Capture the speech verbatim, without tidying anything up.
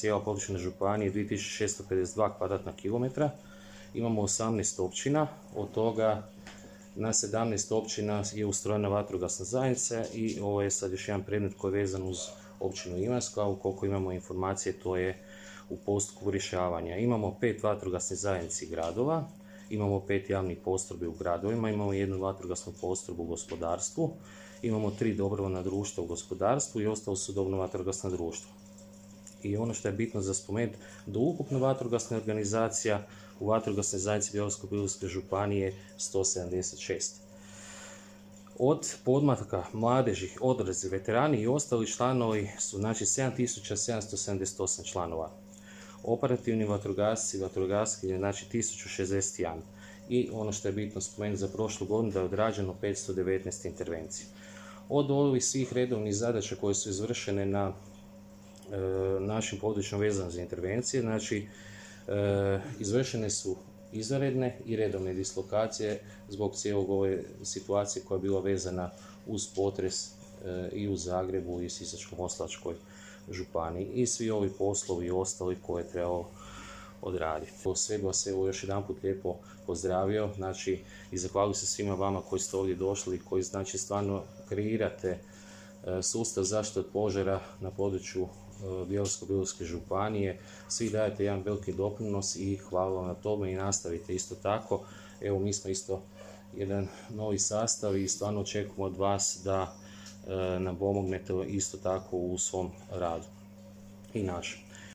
cijela područna županija dvije tisuće šesto pedeset dva kvadratna kilometra. Imamo osamnaest općina, od toga na sedamnaest općina je ustrojena vatrogasna zajednica i ovo je sad još jedan predmet koji je vezan uz općinu Imotsko, a ukoliko imamo informacije to je u postupku rješavanja. Imamo pet vatrogasnih zajednici gradova, imamo pet javnih postrojbi u gradovima, imamo jednu vatrogasnu postrojbu u gospodarstvu, imamo tri dobrovoljna društva u gospodarstvu i ostalo su dobrovoljna vatrogasna društva. I ono što je bitno za spomenuti, da ukupno vatrogasna organizacija u vatrogasnoj zajednici Bjelovarsko-bilogorske županije sto sedamdeset šest. Od podmlatka mladeži, odrasli, veterani i ostali članovi su znači sedam tisuća sedamsto sedamdeset osam članova. Operativni vatrogasci i vatrogaskinje znači tisuću šezdeset jedan. I ono što je bitno spomenuti za prošlu godinu da je odrađeno petsto devetnaest intervencija. Od ovih svih redovnih zadaća koje su izvršene na e, našim područjima vezano za intervencije, znači e, izvršene su izvanredne i redovne dislokacije zbog cijelog ove situacije koja je bila vezana uz potres e, i u Zagrebu i Sisačko-moslavačkoj županiji i svi ovi poslovi i ostali koje je trebalo odraditi. Sve bi vas evo još jedan put lijepo pozdravio, znači i zahvalio se svima vama koji ste ovdje došli i koji znači stvarno kreirate e, sustav zaštite od požara na području e, Bjelovarsko-bilogorske županije. Svi dajete jedan veliki doprinos i hvala vam na tome i nastavite isto tako. Evo mi smo isto jedan novi sastav i stvarno očekujemo od vas da e, nam pomognete isto tako u svom radu i našem.